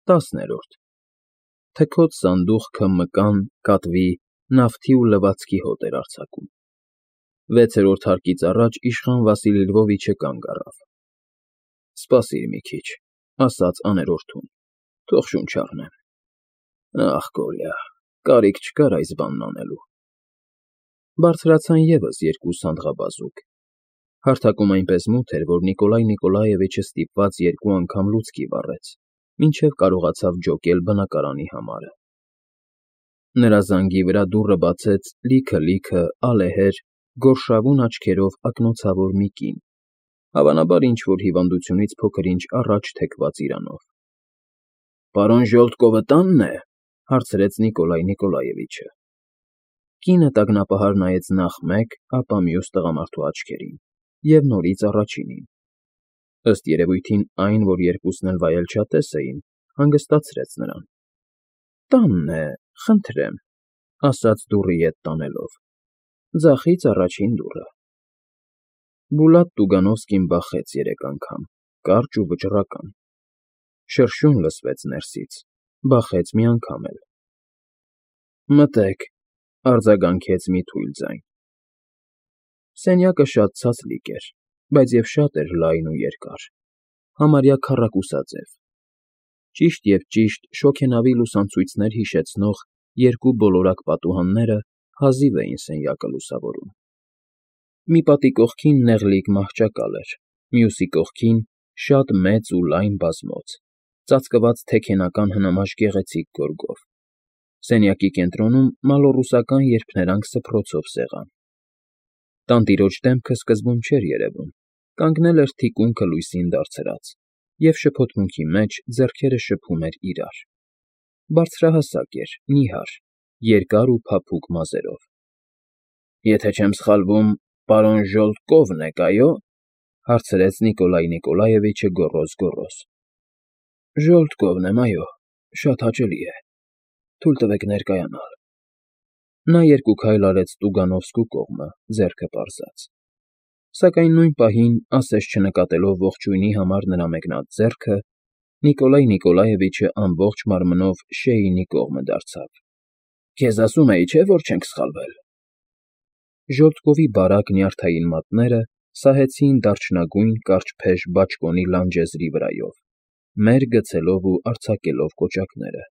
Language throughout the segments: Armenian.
10-րդ Թքոց սանդուղքը մկան, կատվի, նավթի ու լվացքի հոտ էր արձակում։ 6-րդ հարկից առաջ իշխան Վասիլի Լվովիչը կանգ առավ։ ֊ Սպասիր մի քիչ, ֊ ասաց աներորդուն, ֊ թող շունչ առնեմ։ Ախ, Կոլյա, կարիք չկար այս բանն անելու։ Բարձրացան ևս երկու սանդղաբազուկ։ Հարթակում այնպես մութ էր, որ Նիկոլայ Նիկոլաևիչը ստիպված երկու անգամ լուցկի վառեց, մինչև կարողացավ ջոկել բնակարանի համարը։ Նրա զանգի վրա դուռը բացեց լիքը ալեհեր, գորշավուն աչքերով ակնոցավոր մի կին, հավանաբար ինչ-որ հիվանդությունից փոքր-ինչ առաջ թեքված իրանով։ ֊ Պարոն Ժոլտկովը տա՞նն է,֊ հարցրեց Նիկոլայ Նիկոլաևիչը։ Կինը տագնապահար նայեց նախ մեկ, ապա մյուս տղամարդու աչքերին և նորից առաջինին։ Ըստ երևույթին այն, որ երկուսն էլ վայելչատես էին, հանգստացրեց նրան։ ֊ Տանն է, խնդրեմ,֊ ասաց դուռը ետ տանելով,֊ ձախից առաջին դուռը։ Բուլատ Տուգանովսկին բախեց 3 անգամ, կարճ ու վճռական։ Շրշյուն լսվեց ներսից, բախեց մի անգամ էլ։ Մտե՛ք,֊ արձագանքեց մի թույլ ձայն։ Սենյակը շատ ցածլիկ էր, բայց և շատ էր լայն ու երկար, համարյա քառակուսաձև։ Ճիշտ և ճիշտ շոգենավի լուսանցույցներ հիշեցնող երկու բոլորակ պատուհանները հազիվ էին սենյակը լուսավորում։ Մի պատի կողքին նեղլիկ մահճակալ էր, մյուսի կողքին շատ մեծ ու լայն բազմոց, ծածկված թեքենական հնամաշ գեղեցիկ գորգով։ Սենյակի կենտրոնում մալոռուսական երփներանգ սփռոցով սեղան։ Տանտիրոջ դեմքը սկզբում չէր երևում, կանգնել էր թիկունքը լույսին դարձրած, և շփոթմունքի մեջ ձեռքերը շփում էր իրար։ Բարձրահասակ էր, նիհար, երկար ու փափուկ մազերով։ ֊ Եթե չեմ սխալվում, պարոն Ժոլտկովն եք, այո՞, ֊ հարցրեց Նիկոլայ Նիկոլաևիչը գոռոզ։ ֊ Ժոլտկովն եմ, այո, շատ հաճելի է, թույլ տվեք ներկայանալ։ Նա 2 քայլ արեց Տուգանովսկու կողմը, ձեռքը պարզած։ Սակայն նույն պահին, ասես չնկատելով ողջույնի համար նրա մեկնած ձեռքը, Նիկոլայ Նիկոլաևիչը ամբողջ մարմնով Շեյնի կողմը դարձավ։ ֊ Քեզ ասում էի, չէ՞, որ չենք սխալվել։ Ժոլտկովի բարակ նյարդային մատները սահեցին դարչնագույն կարճփեժ բաճկոնի լանջեզրի վրայով, մեր գցելով ու արձակելով կոճակները։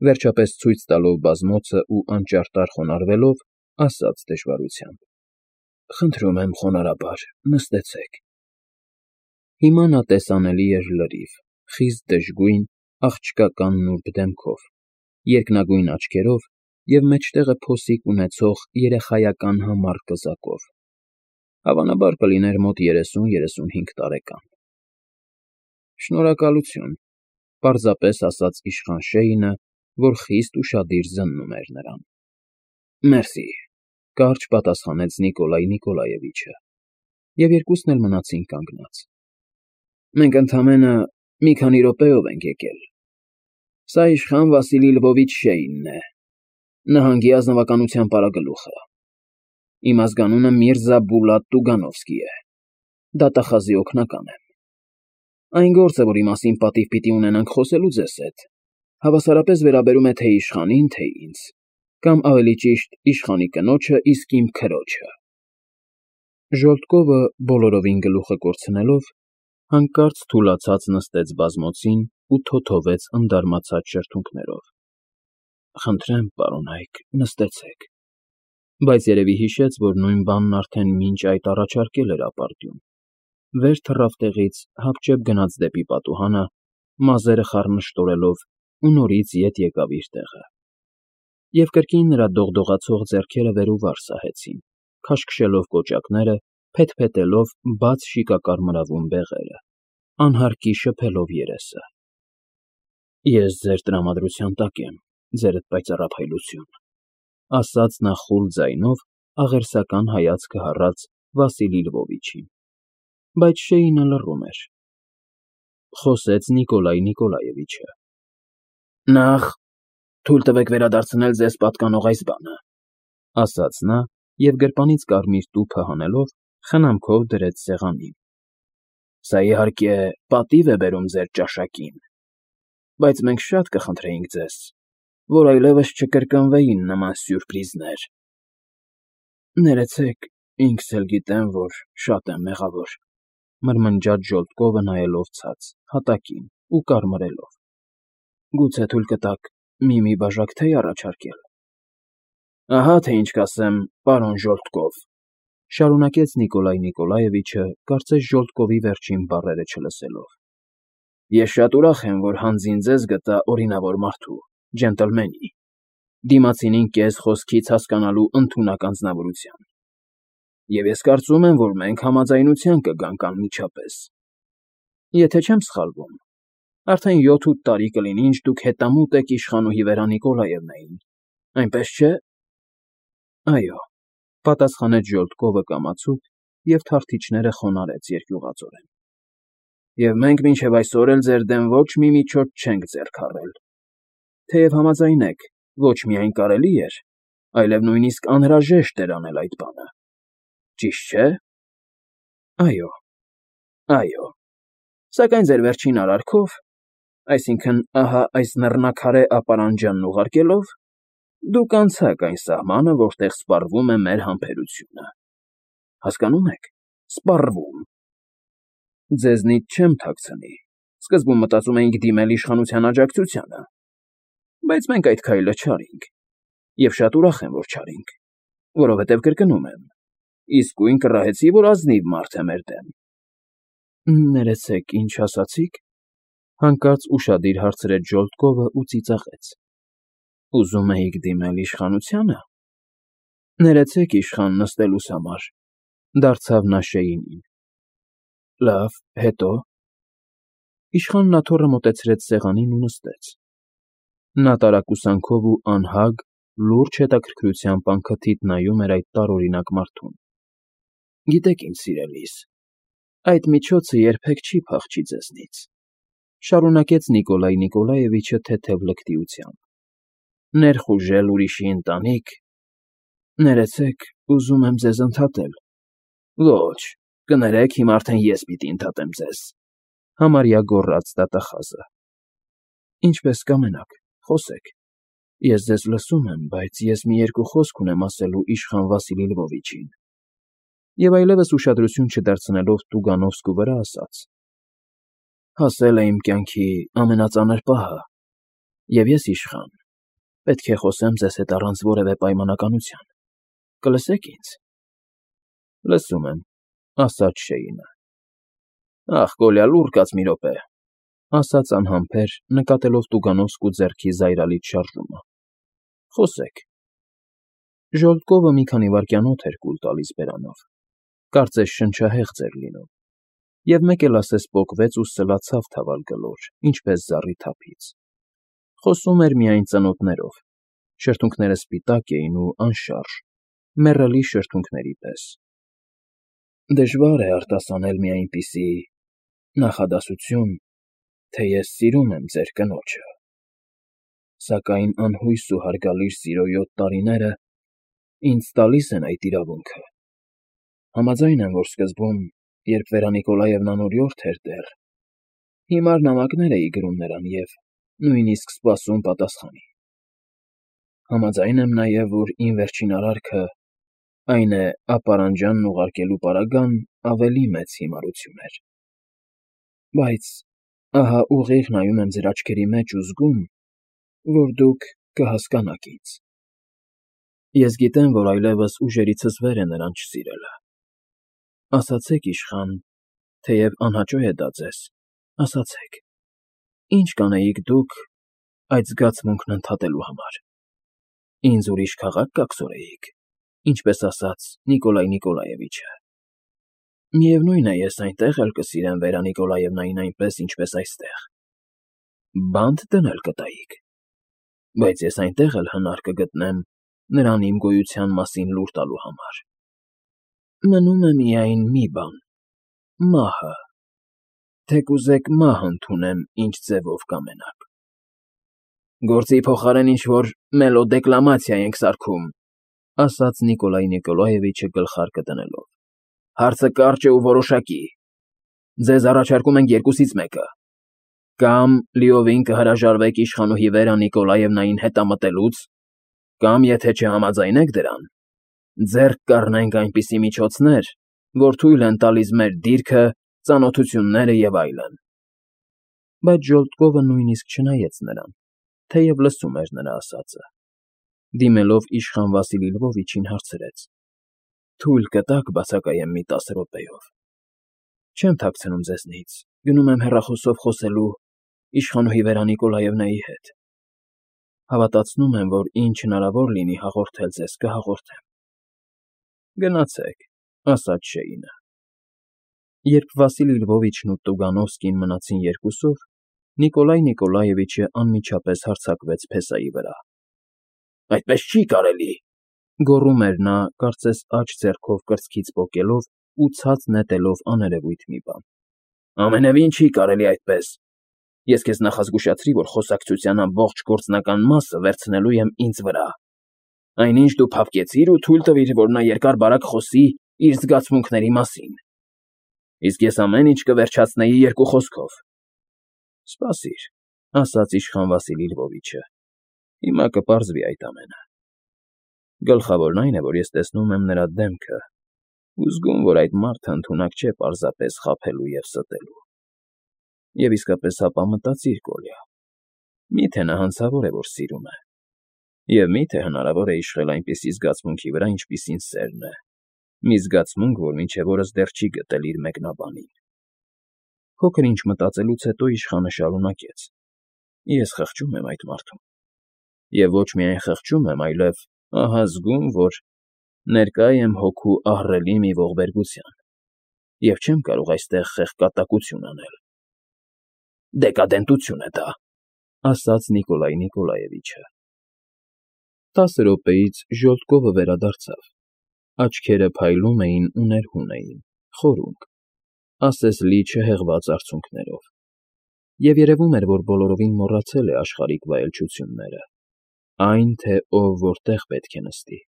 Վերջապես ցույց տալով բազմոցն ու անճարտար խոնարհվելով, ասաց դժվարությամբ. ֊ Խնդրում եմ խոնարհաբար, նստեցեք։ Հիմա նա տեսանելի էր լրիվ, խիստ դժգույն, աղջկական նուրբ դեմքով, երկնագույն աչքերով և մեջտեղը փոսիկ ունեցող երեխայական համառ կզակով։ Հավանաբար կլիներ մոտ 30-35 տարեկան։ ֊ Շնորհակալություն,֊ պարզապես ասաց իշխան Շեյնը, որ խիստ ուշադիր զննում էր նրան։ ֊ Մերսի,֊ կարճ պատասխանեց Նիկոլայ Նիկոլաևիչը, և երկուսն էլ մնացին կանգնած։ ֊ Մենք ընդամենը մի քանի րոպեով ենք եկել։ Սա իշխան Վասիլի Լվովիչ Շեյնն է, նահանգի ազնվականության պարագլուխը։ Իմ ազգանունը Միրզա Բուլատ Տուգանովսկի է, դատախազի օգնական եմ։ Այն գործը, որի մասին պատիվ պիտի ունենանք խոսելու ձեզ հետ, հավասարապես վերաբերում է թե իշխանին, թե ինձ, կամ ավելի ճիշտ իշխանի կնոջը, իսկ իմ քրոջը։ Ժոլտկովը, բոլորովին գլուխը կորցնելով, հանկարծ թուլացած նստեց բազմոցին ու թոթվեց ընդարմացած շրթունքներով։ ֊ Խնդրեմ, պարոնայք, նստեցեք։ Բայց երևի հիշեց, որ նույն բանն արդեն մինչ այդ առաջարկել էր ապարդյուն։ Վեր թռավ տեղից, հապճեպ գնաց դեպի պատուհանը, մազերը խառնշտորելով ու նորից ետ եկավ իր տեղը։ Եվ կրկին նրա դողդողացող ձեռքերը վեր ու վար սահեցին, քաշքշելով կոճակները, փեթփետելով բաց շիկակարմրավուն բեղերը, անհարկի շփելով երեսը։ ֊ Ես ձեր տրամադրության տակ եմ, ձերդ պայծառափայլություն,֊ ասաց նա խուլ ձայնով, աղերսական հայացքը հառած Վասիլի Լվովիչին։ Բայց Շեյնը լռում էր։ Խոսեց Նիկոլայ Նիկոլաևիչը. ֊ Նախ թույլ տվեք վերադարձնել ձեզ պատկանող այս բանը, ֊ ասաց նա և գրպանից կարմիր տուփը հանելով խնամքով դրեց սեղանին։ ֊ Սա, իհարկե, պատիվ է բերում ձեր ճաշակին։ բայց մենք շատ կխնդրեինք ձեզ, որ այլևս չկրկնվեին նման սյուրպրիզներ։ Ներեցեք, ինքս էլ գիտեմ, որ շատ եմ մեղավոր, մրմնջաց Ժոլտկովը նայելով ցած, հատակին ու կարմրելով։ Գուցե թույլ կտաք մի բաժակ թեյ առաջարկել։ Ահա թե ինչ կասեմ, պարոն Ժոլտկով, շարունակեց Նիկոլայ Նիկոլաևիչը, կարծես Ժոլտկովի վերջին բառերը չլսելով։ Ես շատ ուրախ եմ, որ հանձին ձեզ գտա օրինավոր մարդու, ջենտլմենի, դիմացինին կես խոսքից հասկանալու ընդունակ անձնավորության։ Եվ ես կարծում եմ, որ մենք համաձայնության կգանք անմիջապես։ Եթե չեմ սխալվում, արդեն 7-8 տարի կլինի, ինչ դուք հետամուտ եք իշխանուհի Վերա Նիկոլաևնային, այնպես չէ։ Այո, պատասխանեց Ժոլտկովը կամացուկ և թարթիչները խոնարհեց երկյուղածորեն։ Եվ մենք մինչև այսօր էլ ձեր դեմ ոչ մի միջոց չենք ձեռք առել։ Թեև համաձայնեք, ոչ միայն կարելի էր, այլև նույնիսկ անհրաժեշտ էր անել այդ բանը։ Ճիշտ չէ։ Այո, այո։ Սակայն ձեր վերջին արարքով, այսինքն ահա այս նռնակարե ապարանջանն ուղարկելով, դուք անցաք այն սահմանը, որտեղ սպառվում է մեր համբերությունը։ Հասկանո՞ւմ եք, սպառվում։ Ձեզնից չեմ թաքցնի, սկզբում մտածում էինք դիմել իշխանության աջակցությանը, բայց մենք այդ քայլը չարինք, և շատ ուրախ եմ, որ չարինք, որովհետև կրկնում եմ, իսկույն կռահեցի, որ ազնիվ մարդ է մեր դեմ։ Ներեցեք, ինչ ասացիք, հանկարծ ուշադիր հարցրեց Ժոլտկովը ու ծիծաղեց։ Ուզում էիք դիմել իշխանությանը։ Ներեցեք, իշխան, նստելուս համար, դարձավ նա Շեյինին։ Լավ, հետո։ Իշխանն աթոռը մոտեցրեց սեղանին ու նստեց։ Նա տարակուսանքով ու անհագ, լուրջ հետաքրքրությամբ անքթիթ նայում էր այդ տարօրինակ մարդուն։ Գիտեք, իմ սիրելիս, այդ միջոցը երբեք չի փախչի ձեզնից, շարունակեց Նիկոլայ Նիկոլաևիչը թեթև լկտիությամբ։ Ներխուժել ուրիշի ընտանիք։ Ներեցեք, ուզում եմ ձեզ ընդհատել։ Ոչ, կներեք, հիմա արդեն ես պիտի ընդհատեմ ձեզ, համարյա գոռաց դատախազը։ Ինչպես կամենաք, խոսեք։ Ես ձեզ լսում եմ, բայց ես մի երկու խոսք ունեմ ասելու իշխան Վասիլի Լվովիչին։ Եվ այլևս ուշադրություն չդարձնելով Տուգանովսկու վրա ասաց. Հասել է իմ կյանքի ամենածանր պահը, և ես իշխան, պետք է խոսեմ ձեզ հետ առանց որևէ պայմանականության։ Կլսեք ինձ։ Լսում եմ, ասաց Շեյինը։ Ախ, Կոլյա, լուր կաց մի րոպե, ասաց անհամբեր, նկատելով Տուգանովսկու ձեռքի զայրալից շարժումը։ Խոսեք։ Ժոլտկովը մի քանի վայրկյան օդ էր կուլ տալիս բերանով, կարծես շնչահեղձ էր լինում, և մեկ էլ ասես պոկվեց ու սլացավ թավալ գլոր, ինչպես զառի թափից։ Խոսում էր միայն ծնոտներով, շրթունքները սպիտակ էին ու անշարժ, մեռելի շրթունքների պես։ Դժվար է արտասանել մի այնպիսի նախադասություն, թե ես սիրում եմ ձեր կնոջը, սակայն անհույս ու հարգալից սիրո 7 տարիները ինձ տալիս են այդ իրավունքը։ Համաձայն եմ, որ սկզբում, երբ Վերա Նիկոլաևնան անօրյորդ էր դեռ, հիմար նամակներ էի գրում նրան և նույնիսկ սպասում պատասխանի։ Համաձայն եմ նաև, որ իմ վերջին արարքը, այն է ապարանջանն ուղարկելու պարագան, ավելի մեծ հիմարություն էր։ Բայց ահա ուղիղ նայում եմ ձեր աչքերի մեջ ու զգում, որ դուք կհասկանաք ինձ։ Ես գիտեմ, որ այլևս ուժերիցս վեր է նրան չսիրելը։ Ասացեք, իշխան, թեև անհաճո է դա ձեզ, ասացեք, ինչ կանեիք դուք այդ զգացմունքն ընդհատելու համար։ Ինձ ուրիշ քաղաք կաքսորեիք, ինչպես ասաց Նիկոլայ Նիկոլաևիչը։ Միևնույն է, ես այնտեղ էլ կսիրեմ Վերա Նիկոլաևնային այնպես, ինչպես այստեղ։ Բանտ դնել կտայիք, բայց ես այնտեղ էլ հնար կգտնեմ նրան իմ գոյության մասին լուր տալու համար։ Մնում է միայն մի բան՝ մահը, թե կուզեք մահ ընդունեմ, ինչ ձևով կամենաք։ Գործի փոխարեն ինչ-որ մելոդեկլամացիա ենք սարքում, ասաց Նիկոլայ Նիկոլաևիչը գլխարկը դնելով։ Հարցը կարճ է ու որոշակի։ Ձեզ առաջարկում ենք երկուսից մեկը։ Կամ լիովին կհրաժարվեք իշխանուհի Վերա Նիկոլաևնային հետամտելուց, կամ եթե չհամաձայնեք դրան, ձեռք կառնենք այնպիսի միջոցներ, որ թույլ են տալիս մեր դիրքը, ծանոթությունները եւ այլն։ Բայց Ժոլտկովը նույնիսկ չնայեց նրան, թեև լսում էր նրա ասածը։ Դիմելով իշխան Վասիլի Լվովիչին հարցրեց. Թույլ կտաք բացակայեմ մի 10 րոպեով։ Չեմ թաքցնում ձեզնից, գնում եմ հեռախոսով խոսելու իշխանուհի Վերա Նիկոլաևնայի հետ։ Հավատացնում եմ, որ ինչ հնարավոր լինի հաղորդել ձեզ, կհաղորդեմ։ Գնացեք, ասաց Շեյնը։ Երբ Վասիլի Լվովիչն ու Տուգանովսկին մնացին երկուսով, Նիկոլայ Նիկոլաևիչը անմիջապես հարձակվեց փեսայի վրա։ Այդպես չի կարելի, գոռում էր նա, կարծես աջ ձեռքով կրծքից պոկելով ու ցած նետելով աներևույթ մի բան։ Ամենևին չի կարելի այդպես։ Ես քեզ նախազգուշացրի, որ խոսակցության ամբողջ գործնական մասը վերցնելու եմ ինձ վրա։ Այնինչ դու փափկեցիր ու թույլ տվիր, որ նա երկար-բարակ խոսի իր զգացմունքների մասին։ Իսկ ես ամեն ինչ կվերջացնեի երկու խոսքով։ Սպասիր, ասաց իշխան Վասիլի Լվովիչը։ Հիմա կպարզվի այդ ամենը։ Գլխավորն այն է, որ ես տեսնում եմ նրա դեմքը ու զգում, որ այդ մարդը ընդունակ չէ պարզապես խաբելու եւ ստելու։ Եվ իսկապես հապա մտածիր, Կոլյա, միթե նա հանցավոր է, որ սիրում է, եւ միթե հնարավոր է իշխել այնպիսի զգացմունքի վրա, ինչպիսին սերն է, մի զգացմունք, որ մինչև օրս դեռ չի գտել իր մեկնաբանին։ Փոքր ինչ մտածելուց հետո իշխանը շարունակեց. Ես խղճում եմ այդ մարդուն։ Եվ ոչ միայն խղճում եմ, այլև ահա զգում, որ ներկա եմ հոգու ահռելի մի ողբերգության, եւ չեմ կարող այստեղ խեղկատակություն անել։ Դեկադենտություն է դա, ասաց Նիկոլայ Նիկոլաևիչը։ 10 րոպեից Ժոլտկովը վերադարձավ։ Աչքերը փայլում էին ու ներհուն էին, խորունկ, ասես լի չհեղված արցունքներով։ Եվ երևում էր, որ բոլորովին մոռացել է աշխարհիկ վայելչությունները, այն, թե ով որտեղ պետք է նստի,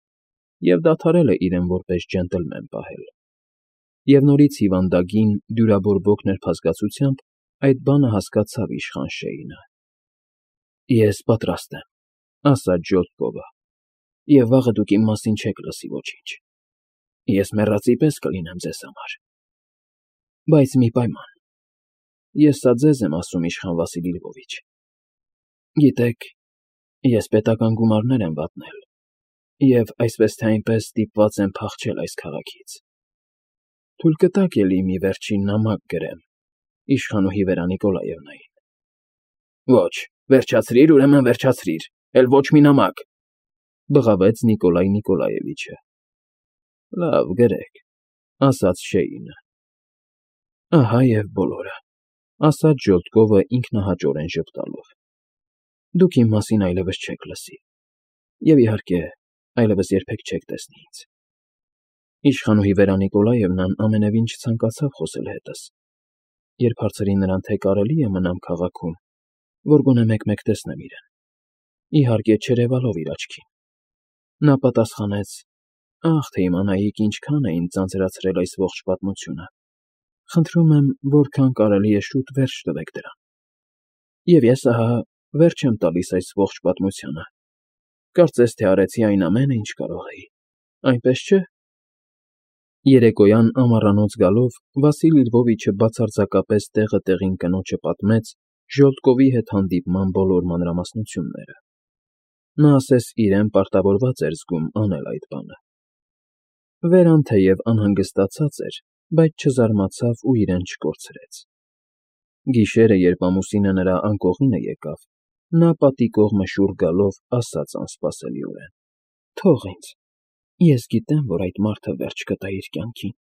եւ դադարել է իրեն որպես ջենտլմեն պահել։ Եվ նորից հիվանդագին, դյուրաբորբոք ներփազգացությամբ այդ բանը հասկացավ իշխան Շեյնը։ Ես պատրաստ եմ, ասաց Ժոլտկովը, եւ վաղը դուք իմ մասին չեք լսի ոչինչ։ Ես մեռածի պես կլինեմ ձեզ համար։ Բայց մի պայման։ Ես սա ձեզ եմ ասում, իշխան Վասիլի Լվովիչ։ Գիտեք, ես պետական գումարներ եմ վատնել, եւ այսպես թե այնպես ստիպված եմ փախչել այս քաղաքից։ Թույլ կտաք էլի մի վերջին նամակ գրեմ իշխանուհի Վերա Նիկոլաևնային։ Ոչ, վերջացրիր, ուրեմն վերջացրիր, էլ ոչ մի նամակ, բղավեց Նիկոլայ Նիկոլաևիչը։ Լավ, գրեք, ասաց Շեյնը։ Ահա եւ բոլորը, ասաց Ժոլտկովը ինքնահաճորեն ժպտալով։ Դուք իմ մասին այլևս չեք լսի, եւ իհարկե, այլևս երբեք չեք տեսնի ինձ։ Իշխանուհի Վերա Նիկոլաևնան ամենևին չցանկացավ խոսել հետս, երբ հարցրի նրան, թե կարելի է մնամ քաղաքում, որ գոնե մեկ-մեկ տեսնեմ իրեն։ Իհարկե չերևալով իր աչքին։ Նա պատասխանեց. Ախ, թե իմանայիք ինչքան է ինձ ձանձրացրել այս ողջ պատմությունը։ Խնդրում եմ, որքան կարելի է շուտ վերջ տվեք դրան։ Եվ ես ահա վերջ եմ տալիս այս ողջ պատմությանը։ Կարծես թե արեցի այն ամենը, ինչ կարող էի։ Այնպես չէ՞։ Երեկոյան ամառանոց գալով Վասիլի Լվովիչը բացարձակապես տեղը տեղին կնոջը պատմեց Ժոլտկովի հետ հանդիպման բոլոր մանրամասնությունները։ Նա ասես իրեն պարտավորված էր զգում անել այդ բանը։ Վերան թեև անհանգստացած էր, բայց չզարմացավ ու իրեն չկորցրեց։ Գիշերը, երբ ամուսինը նրա անկողինը եկավ, նա պատի կողմը շուռ գալով ասաց անսպասելիորեն. Թող ինձ, ես գիտեմ, որ այդ մարդը վերջ կտա իր կյանքին։